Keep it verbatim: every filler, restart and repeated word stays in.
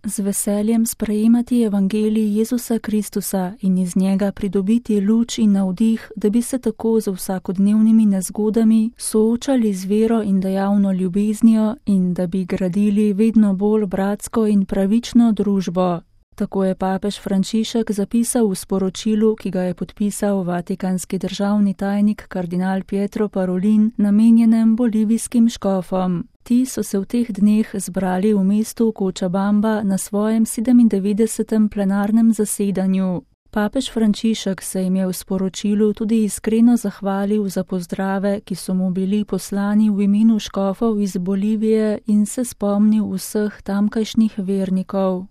Z veseljem sprejemati evangelij Jezusa Kristusa in iz njega pridobiti luč in navdih, da bi se tako z vsakodnevnimi nezgodami soočali z vero in dejavno ljubeznijo in da bi gradili vedno bolj bratsko in pravično družbo. Tako je papež Frančišek zapisal v sporočilu, ki ga je podpisal vatikanski državni tajnik kardinal Pietro Parolin, namenjenem bolivijskim škofom. Ti so se v teh dneh zbrali v mestu Cochabamba na svojem sedemindevetdesetem plenarnem zasedanju. Papež Frančišek se jim je v sporočilu tudi iskreno zahvalil za pozdrave, ki so mu bili poslani v imenu škofov iz Bolivije in se spomnil vseh tamkajšnjih vernikov.